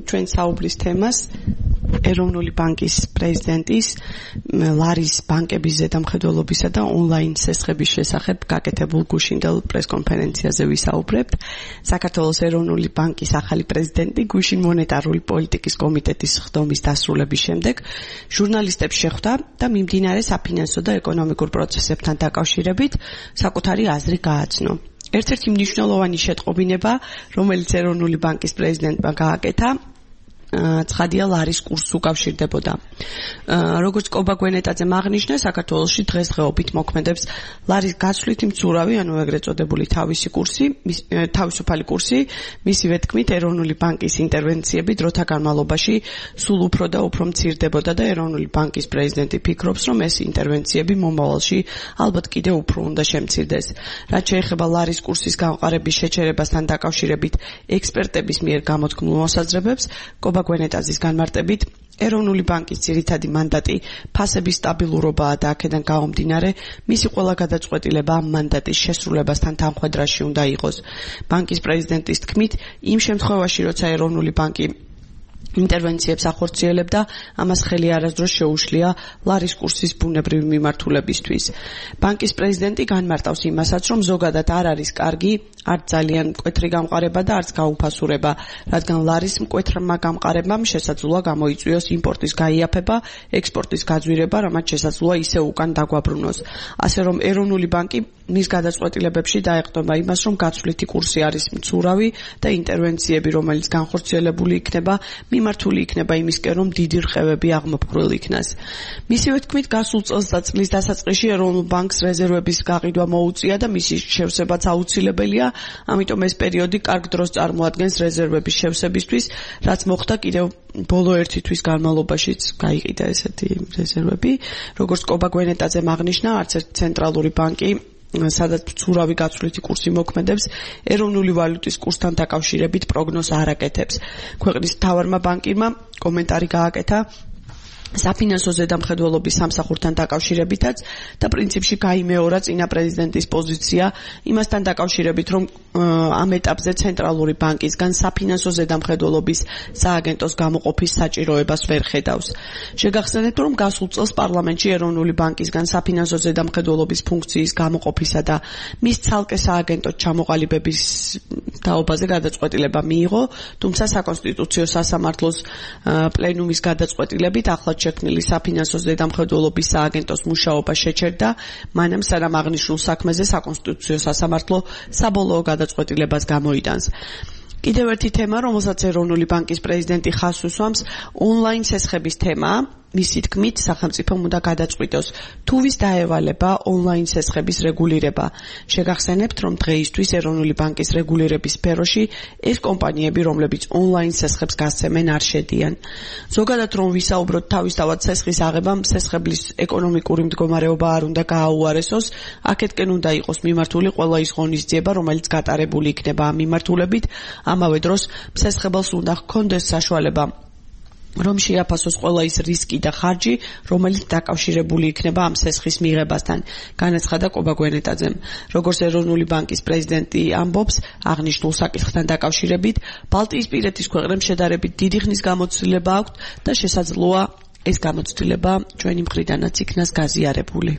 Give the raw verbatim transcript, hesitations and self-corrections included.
ჩვენ საუბრის თემას ეროვნული ბანკის პრეზიდენტის ლარის ბანკების ზედამხედველობისა და ონლაინ სესხების შესახებ გაკეთებულ გუშინდელ პრესკონფერენციაზე ვისაუბრებთ. საქართველოს ეროვნული ბანკის ახალი პრეზიდენტი გუშინ მონეტარული პოლიტიკის კომიტეტის ხდომის დასრულების შემდეგ ჟურნალისტებს შეხვდა და მიმდინარე საფინანსო და ეკონომიკურ პროცესებთან დაკავშირებით საკუთარი აზრი გააცნო. ერთ-ერთი მნიშვნელოვანი შეტყობინება, რომელიც ეროვნული ბანკის პრეზიდენტმა გააკეთა, ცხადია ლარის კურსს უკავშირდებოდა. როგორც კობა გვენეტაძემ აღნიშნა, საქართველოში დღესდღეობით მოქმედებს ლარის გაცვლითი მცურავი, ანუ ეგრეთ წოდებული თავისი კურსი, თავისუფალი კურსი, მისივე თქმით, ეროვნული ბანკის ინტერვენციები დროთა განმავლობაში სულ უფრო და უფრო მცირდებოდა და ეროვნული ბანკის პრეზიდენტი ფიქრობს, რომ ეს ინტერვენციები მომავალში ალბათ კიდევ უფრო უნდა შემცირდეს. რაც შეეხება ლარის კურსის გამყარების შეჩერებასთან დაკავშირებით ექსპერტების მიერ გამოთქმულ მოსაზრებებს, გვენეტაზის განმარტებით, ეროვნული ბანკის ძირითადი მანდატი ფასების სტაბილურობაა და აქედან გამომდინარე, მისი ყველა გადაწყვეტილება ამ მანდატის შესრულებასთან თანხვედრაში უნდა იყოს. ბანკის პრეზიდენტის თქმით, იმ შემთხვევაში, როცა ეროვნული ბანკი ინტერვენციებს ახორციელებდა, ამას ხელი არასდროს შეუშლია ლარის კურსის ბუნებრივი მიმართულებისთვის. ბანკის პრეზიდენტი განმარტავს იმასაც, რომ ზოგადად არ არის კარგი, არც ძალიან მკვეთრი გამყარება და არც გაუფასურება, რადგან ლარის მკვეთრმა გამყარებამ შესაძლოა გამოიწვიოს იმპორტის გაიაფება, ექსპორტის გაძვირება, რამაც შესაძლოა ისევ უკან დაგვაბრუნოს. ასე რომ ეროვნული ბანკი მის გადაწყვეტილებებში დაეყრდნობა იმას, რომ გაცვლითი კურსი არის მცურავი და ინტერვენციები, რომელიც განხორციელებული იქნება, მიმართული იქნება იმისკენ, რომ დიდი რყევები აღმოფხვრილ იქნას. მისივე თქმით, გასულ წელს და წლის დასაწყისში ეროვნულ ბანკს რეზერვების გაყიდვა მოუწია და მისი შევსებაც აუცილებელია, ამიტომ ეს პერიოდი კარგ დროს წარმოადგენს რეზერვების შევსებისთვის, რაც მოხდა კიდევ ბოლო ერთი თვის განმავლობაშიც გაიყიდა ესეთი რეზერვები. როგორც კობა გვენეტაძემ აღნიშნა, არც ერთი ცენტრალური ბანკი სადაც მცურავი გაცვლითი კურსი მოქმედებს, ეროვნული ვალუტის კურსთან დაკავშირებით პროგნოზს არ აკეთებს. ქვეყნის მთავარმა ბანკირმა კომენტარი გააკეთა საფინანსო ზედამხედველობის სამსახურთან დაკავშირებითაც და პრინციპში გაიმეორა წინა პრეზიდენტის პოზიცია იმასთან დაკავშირებით, რომ ამ ეტაპზე ცენტრალური ბანკისგან საფინანსო ზედამხედველობის სააგენტოს გამოყოფის საჭიროებას ვერ ხედავს. შეგახსენებთ, რომ გასულ წელს პარლამენტში ეროვნული ბანკისგან საფინანსო ზედამხედველობის ფუნქციის გამოყოფისა და მის ცალკე სააგენტოს ჩამოყალიბების თაობაზე გადაწყვეტილება მიიღო, თუმცა საკონსტიტუციო სასამართლოს პლენუმის გადაწყვეტილებით ახლა შექმნილი საფინანსო ზედამხედველობის სააგენტოს მუშაობა შეჩერდა, მანამ სანამ აღნიშნულ საქმეზე საკონსტიტუციო სასამართლო საბოლოო გადაწყვეტილებას გამოიტანს. კიდევ ერთი თემა, რომელსაც ეროვნული ბანკის პრეზიდენტი ხაზს უსვამს, ონლაინ სესხების თემაა. მისი თქმით, სახელმწიფომ უნდა გადაწყვიტოს, თუ ვის დაევალება ონლაინ სესხების რეგულირება. შეგახსენებთ, რომ დღეისთვის ეროვნული ბანკის რეგულირების სფეროში ეს კომპანიები, რომლებიც ონლაინ სესხებს გასცემენ, არ შედიან. ზოგადად რომ ვისაუბროთ თავისთავად სესხის აღებამ, სესხების ეკონომიკური მდგომარეობა არ უნდა გააუარესოს, აქეთკენ უნდა იყოს მიმართული ყველა ის ღონისძიება, რომელიც გატარებული იქნება ამ მიმართულებით, ამავე დროს სესხებელს უნდა ჰქონდეს საშუალება რომ შეაფასოს ყველა ის რისკი და ხარჯი, რომელიც დაკავშირებული იქნება ამ სესხის მიღებასთან, განაცხადა კობა გვენეტაძემ. როგორც ეროვნული ბანკის პრეზიდენტი ამბობს, აღნიშნულ საკითხთან დაკავშირებით, ბალტიისპირეთის ქვეყნებს შედარებით დიდი ხნის გამოცდილება აქვთ და შესაძლოა ეს გამოცდილება ჩვენი მხრიდანაც იქნას გაზიარებული.